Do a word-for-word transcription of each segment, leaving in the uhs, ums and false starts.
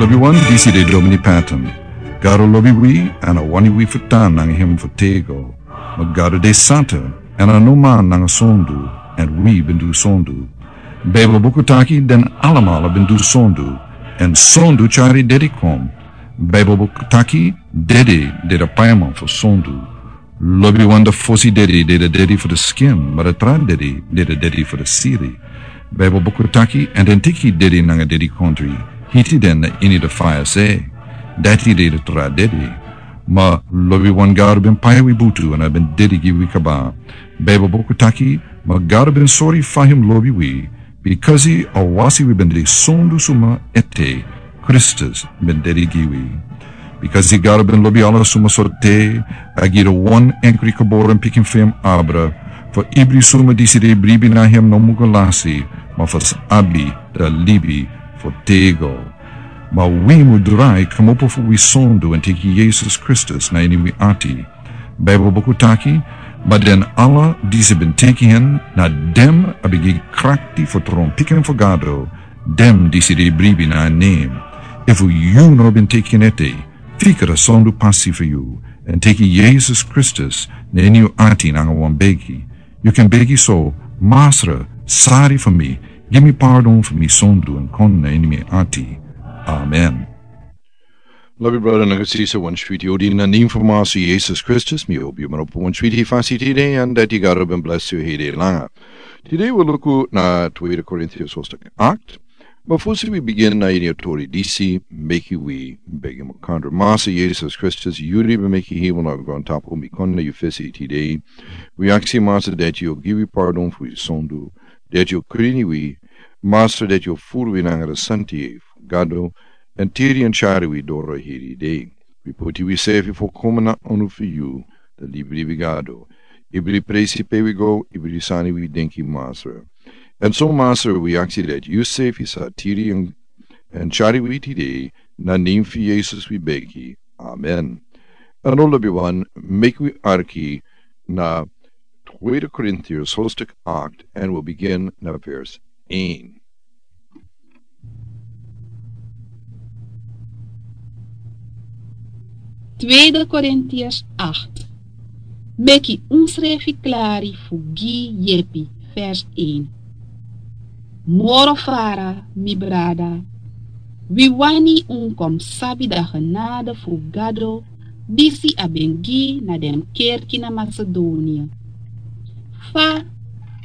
Wi wan disi de domini pattern. Gado lobi wi, èn a wani wi fu tan nanga hem fu tego. Ma Gado de santa, èn a no man nanga sondu, èn wi ben du sondu. Baibel buku taki den alamala ben du sondu, èn sondu tyari dedi kon. Baibel buku taki dedi de da paiman fu sondu. Lobi wan da fosi dedi de da dedi fu da skin, ma da tra dedi de da dedi fu da siri. Baibel buku taki, èn den teki dedi nanga dedi kontri, hiti den na ini da faya se. Dati de da tra dedi. Ma lobi wan Gado ben pai wi butu, èn a ben dedi gi wi kaba. Baibel buku taki, ma Gado ben sori fa hem lobi wi, bikasi a wasi wi ben de sondu suma ete, Kristus ben dedi gi wi. Bikasi Gado ben lobi ala suma sorte, a gi da wan enkri geboren pikin fu hem abra, fu ibri suma disi de bribi na hem no mugo lasi, ma fu sa abi da libi fu tego. Ma wi mu drai kmopo fu wi sondu èn teki Yesus Kristus na ini wi ati. Baibel buku taki, ma den ala disi ben teki hen, na den a ben gi krakti fu tron pikin fu Gado, den disi de bribi na nen. Efu yu no ben teki en ete, fika da sondu pasi fu yu, èn teki Yesus Kristus na ini yu ati nanga wan begi. Yu kan begi so, Masra, sari fu mi, gi mi pardon fu mi sondu èn kon na ini mi ati. Amen. Lobi brada nanga sisa, wan switi odi na nen fu Masra Yesus Kristus, mi obi yu man opo wan switi fasi tide, èn dati Gado ben bless yu hede langa. Tide wi luku na Tweede Korintiërs hoofdstuk acht, ma fosi wi bigin na ini a tori disi, meki wi begi makandra. Masra Yesus Kristus, yu di ben meki hemel nanga grontapu, mi kon na yu fesi tide. Wi aksi Masra dati yu o gi wi pardon fu wi sondu, dati yu o krin wi, Masra dati yu o furu wi nanga da santi fu Gado, èn tiri èn tyari wi doro heri dei. Wi poti wisrefi folkomen na anu fu yu, da libri wi Gado. Ibri presi pe wi go, ibri sani wi denki Masra. Èn so Masra wi aksi dati yusrefi sa tiri èn, èn tyari wi tide, na nen fu Yesus wi begi. Amen. Èn lobi wan, meki wi arki na Tweede Korintiërs hoofdstuk acht, en we beginnen na vers één. Tweede Korintiërs acht. Meki unsrefi klari fu gi yepi, vers één. Moro fara, mi brada, wi wani un kon sabi da genade fu Gado, disi a ben gi na den kerki na Macedonia. Fa,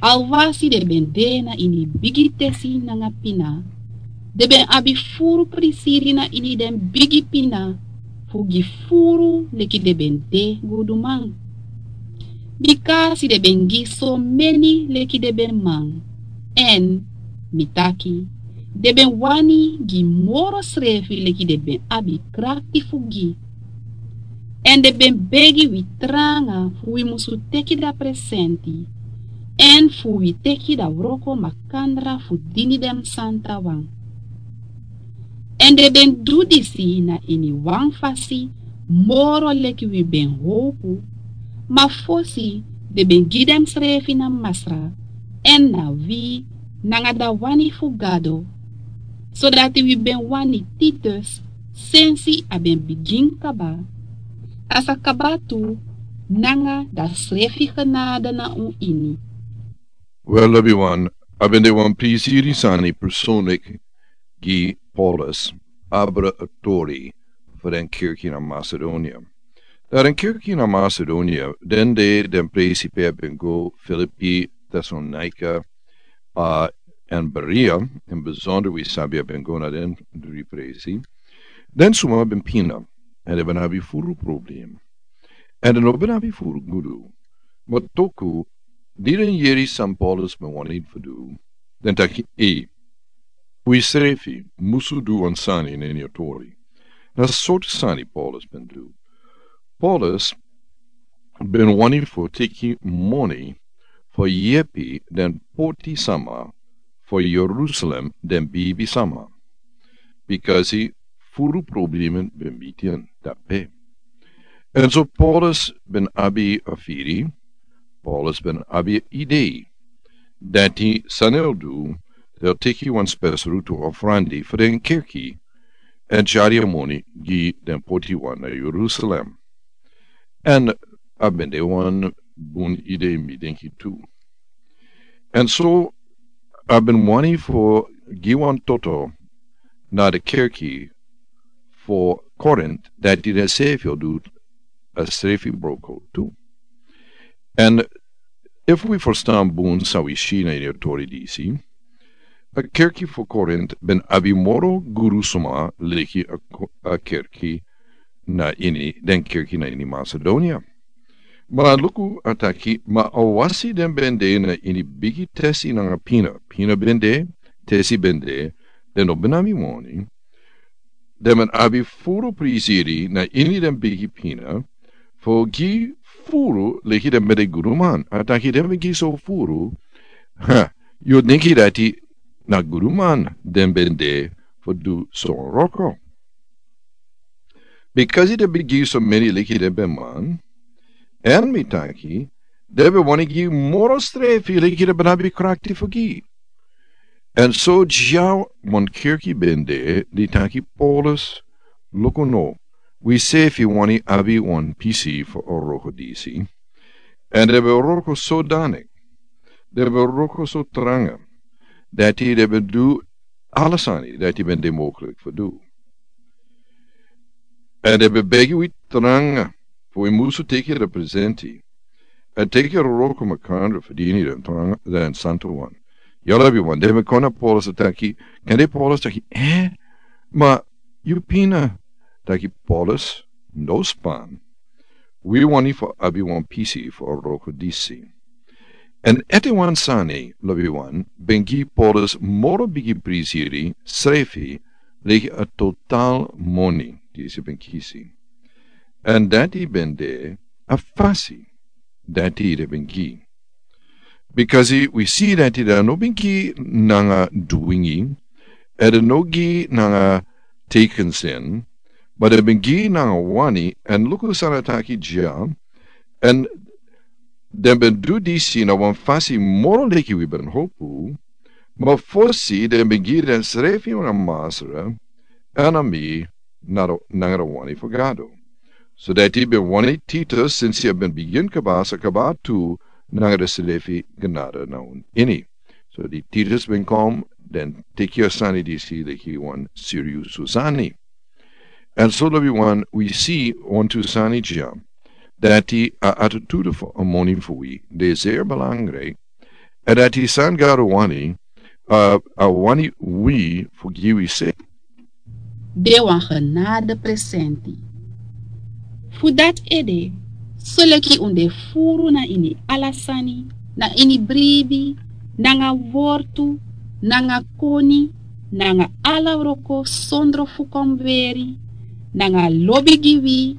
alwasi den ben de na ini bigi tesi nanga pina, den ben abi furu prisiri na ini den bigi pina, fu gi furu leki den ben de guduman. Bikasi den ben gi so meni leki den ben man. Èn, mi taki, den ben wani gi moro srefi leki den ben abi krakti fu gi. Èn den ben begi wi tranga fu wi musu teki da presenti, èn fu wi teki da wroko makandra fu dini den santa wan. Èn den ben du disi na ini wan fasi moro leki wi ben howpu, ma fosi den ben gi densrefi na Masra, èn na wi nanga da wani fu Gado, sodati wi ben wani Titus sensi a ben bigin kaba, a sa kaba tu nanga da srefi genade na un ini. Wel, lobiwan, a ben de wan prisiri sani personlik gi Paulus abra a tori fu den kerki na Macedonia. Dan den kerki na Macedonia, den de den presi pe a ben go, Filipi, Tesalonika, a, èn Berea, in besonder wi sabi a ben go na den dri presi. Den suma ben pina, èn den ben abi furu problem. Èn den no ben abi furu gudu. Ma toku, di den yere san Paulus ben wani fu du, den taki: Ei, wi srefi musu du wan sani na ini a tori. Na sortu sani Paulus ben du? Paulus ben wani fu teki moni fu yepi den poti sama fu Jerusalem, den bibi sama. Bikasi furu problemen ben miti en dape. Èn so Paulus ben abi a firi, Paulus ben abi a idei. Dati san el du, el teki wan spesrutu ofrandi fu den kerki, èn tyari a moni gi den poti wan na Jerusalem. Èn a ben de wan bun idee, mi denki tu. Èn so a ben wani fu gi wan toto na den kerki fu Korint, dati den srefi o du a srefi broko tu. Èn efu wi ferstan bun san wi si na ini a tori disi, a kerki fu Korint ben abi moro gudu suma leki a ko-, a kerki na ini, den kerki na ini Masedonia. Ma luku, a taki, ma awasi den ben de na ini bigi tesi nanga pina. Pina ben de, tesi ben de, den no ben abi moni. Den ben abi furu prisiri na ini den bigi pina, fu gi furu leki den ben de guduman. A taki den ben gi so furu, ha, yu o denki dati na guduman den ben de fu du so wroko. Bikasi den ben gi so meni leki den ben man, èn mi taki, den ben wani gi moro srefi leki den ben abi krakti fu gi. Èn so dya wan kerki ben de di taki Paulus, luku no, wi srefi wani abi wan pisi fu a wroko disi. Èn den ben wroko so dani, den ben wroko so tranga, dati den ben du ala sani dati ben de mogelijk fu du. Èn den ben begi wi tranga fu wi musu teki den presenti. Èn teki a wroko makandra fu dini den tranga, den santu wan. Yu lobi wan, den ben kon na Paulus taki, kande Paulus taki, eh? Ma yu pina, taki Paulus, no span. Wi wani fu abi wan pisi fu a wroko disi. Èn ete wan sani, lobi wan, ben gi Paulus moro bigi prisiri srefi leki a total moni disi ben kisi. Èn dati ben de a fasi dati den ben gi. Bikasi wi si dati den no ben gi nanga dwingi, èn den no gi nanga tekensin, ma den ben gi nanga wani, èn luku san a taki dya, èn den ben du disi na wan fasi moro leki wi ben hopu, ma fosi den ben gi den srefi nanga masra, èn a mi, nanga den wani fu Gado. So dati ben wani Titus, sinsi a ben bigin kaba, sa kaba tu nanga den srefi genade na un ini. So di Titus ben kon, den teki a sani disi leki wan siriusu sani. Èn so lobi wan, wi si wantu sani dya, dati a attitude fu a moni fu wi de zeer belangrijk, èn dati san Gado wani, a, a wani wi fu gi wi se. De wan genade presenti. Fu dati ede, soleki un de furu na ini ala sani, na ini bribi, nanga wortu, nanga koni, nanga ala wroko sondro fu kon weri, nanga lobi gi wi,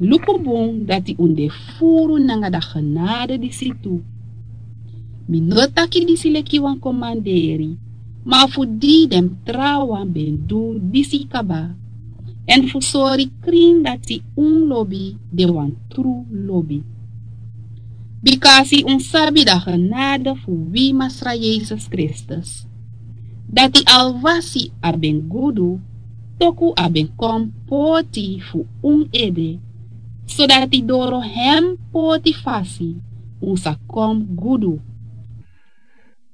luku bun dati un de furu nanga a genade disi tu. Mi no taki disi leki wan komanderi, ma fu di den trawan ben du disi kaba, èn fu sori krin dati un lobi de wan tru lobi. Bikasi un sabi a genade fu wi Masra Yesus Kristus, dati alwasi a ben gudu, toku a ben kon poti fu un ede, sodati doro hem poti fasi un sa kon gudu.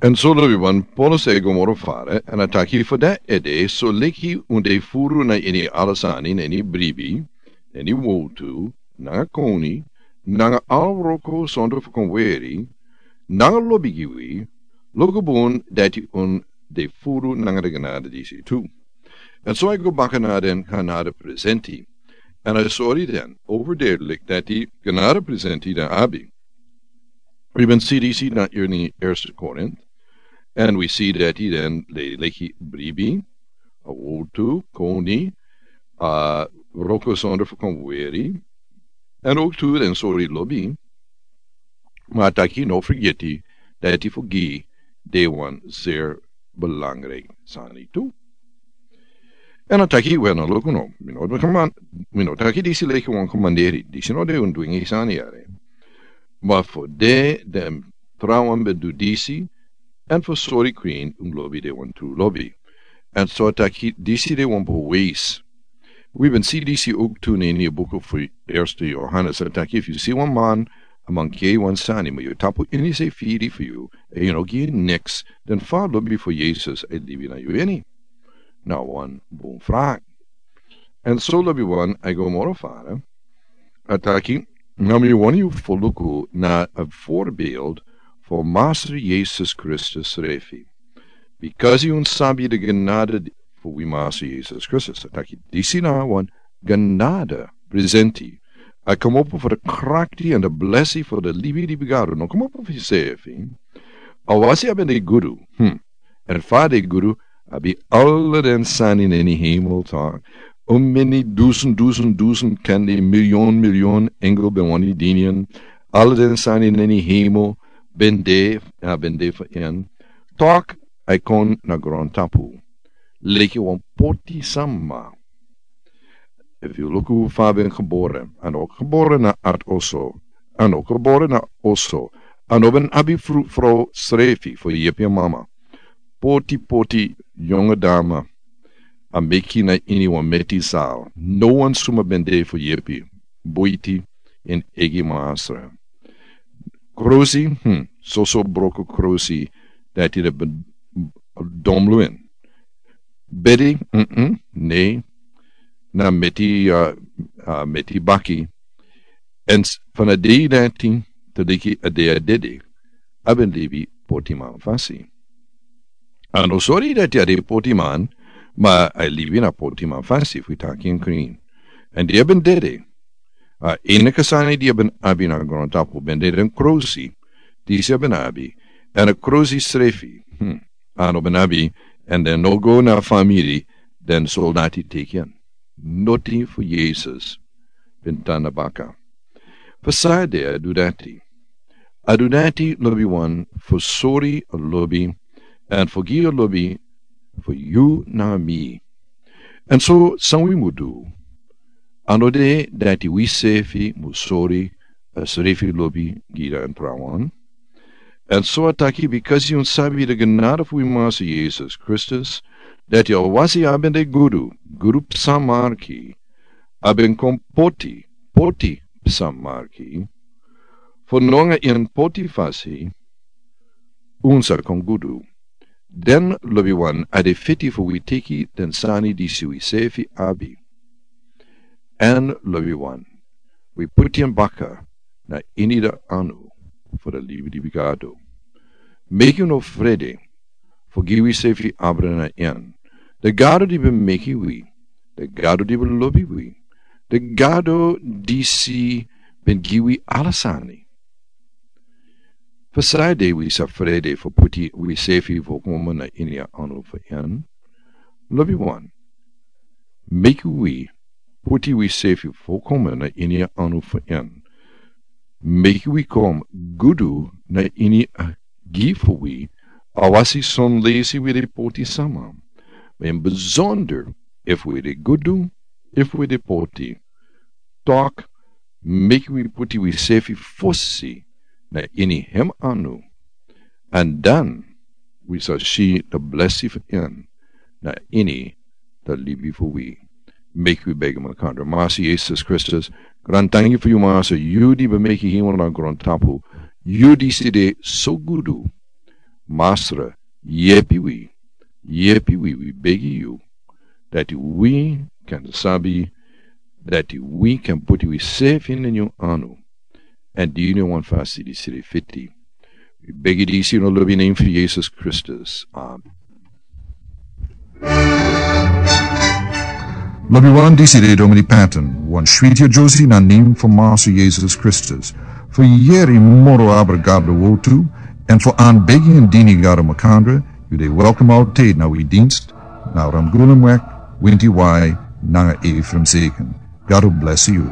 Èn so lobi wan, Paulus e go moro fara, èn a taki fu dati ede, soleki un de furu na ini ala sani, na ini bribi, na ini wortu, nanga koni, nanga ala wroko sondro fu kon weri, nanga lobi gi wi, luku bun dati un de furu nanga a genade disi tu. Èn so a go baka na den genade presenti. Èn a sori den overduidelijk dati a genade presenti den abi. Wi ben si disi na ini Eerste Korint. Èn wi si dati den leki bribi, a wortu, koni, a wroko sondro fu kon weri. Èn ook tu den sori lobi. Ma a taki no fergiti dati fu gi de wan zeer belangrijk sani tu. Èn a taki, we no, luku no, mi no, mi no taki disi leki wan komanderi, disi no de un dwingi sani yere. Ma fu de den trawan ben du disi, èn fu sori krin un lobi de wan tru lobi. En so a taki disi de wan bewijs. Wi ben si disi ook tu na ini a buku fu Eerste Johannes. A taki efu yu si wan man a mankeri wan sani, ma yu tapu ini se firi fu yu, en yu no gi niks, dan fa lobi fu Yesus a libi na yu ini? Na wan bun vraag. En so lobi wan a go moro fara. A taki, na mi wani yu fu luku na a voorbeeld fu Master Yesus Kristus srefi. Bikasi un sabi de genade fu wi Master Yesus Kristus. A taki disi na wan genade presenti. A komopo fu de krakti en de blesi fu de libi di bigado. No komopo fu sefi. A wasi a ben de gudu. Hmm. En fa de gudu, abi ala den sani na ini hemel, tak. Un meni dusun, dusun, dusun, kandi milion, milion engel ben wani dini en. Ala den sani na ini hemel ben de, a ben de fu en. Tak, a kon na grontapu. Leki wan poti sama. Efu yu luku fa a ben gebore, a no gebore na art oso, a no gebore na oso, a no ben abi fru, frow srefi fu yepi en mama. Poti, poti, yonge dama, a meki na ini wan meti sal. No wan suma ben de fu yepi, buiti, en egi masra. Krosi, hmm, soso broko krosi, dati de ben domluin. Bedi, mm, ne, na meti, a, a meti baki. En s-, fan a dei dati, te diki a dei a dede, a ben libi poti man fasi. A no sori dati a de poti man, ma a libi na poti man fasi, fu taki en krin. En di a ben dede, a enige sani di a ben abi na grontapu, ben de den krosi, disi a ben abi, en a krosi srefi, hmm, a no ben abi, en den no go na famiri, den soldati teki en. Noti fu Yesus, ben tan na baka. Fa san a de a du dati. A du dati lobi wan fu sori a lobi, en fu gi a lobi fu yu na mi. En so san wi mu du. A no de dati wi sefi mu sori a srefi lobi gi den trawan. En so a taki bikasi un sabi de genade fu wi Master Yesus Kristus, dati a wasi a ben de gudu, gudu psa marki, a ben kon poti, poti psa marki, fu nanga en poti fasi, un sa kon gudu. Den lobi wan a de fiti fu wi teki den sani disi wi sefi abi. En lobi wan, wi puti en baka na ini de anu fu de libi di bigado. Meki un no frede, fu gi wi sefi abra na en. De Gado di ben meki wi, de Gado di ben lobi wi, de Gado disi ben gi wi ala sani. Fa san a de wi sa frede fu puti wi sefi fu koma na ini a anu fu en. Lobi wan. Meki wi puti wi sefi fu koma na ini a anu fu en. Meki wi kon gudu na ini a gi fu wi. A wasi son lesi wi de poti sama. Ma en bizonder efu wi de gudu, efu wi de poti. Tak, meki wi puti wi sefi fosi na ini hem anu. En dan wi sa si de blesi fu en na ini de libi fu wi. Meki wi begi makandra. Master Yesus Kristus, grantangi fu yu Master, yu di ben meki hemel na grontapu, yu disi de so gudu. Master, yepi wi, yepi wi, wi begi yu. Dati wi kan sabi, dati wi kan puti wi sefi na yu anu. En dini wan fasi disi de fiti. Wi begi disi na lobi name fu Yesus Kristus. Amen. Lobi wan, disi de Domini Patton, wan switi a Josi na name fu Master Yesus Kristus. Fu yeri moro abra Gado wotu, en fu an begi en dini Gado makandra, yu de welkom altijd na wi dienst, na Ramgulumwek, winti wai, nanga Ephraim Zeken. God will bless you.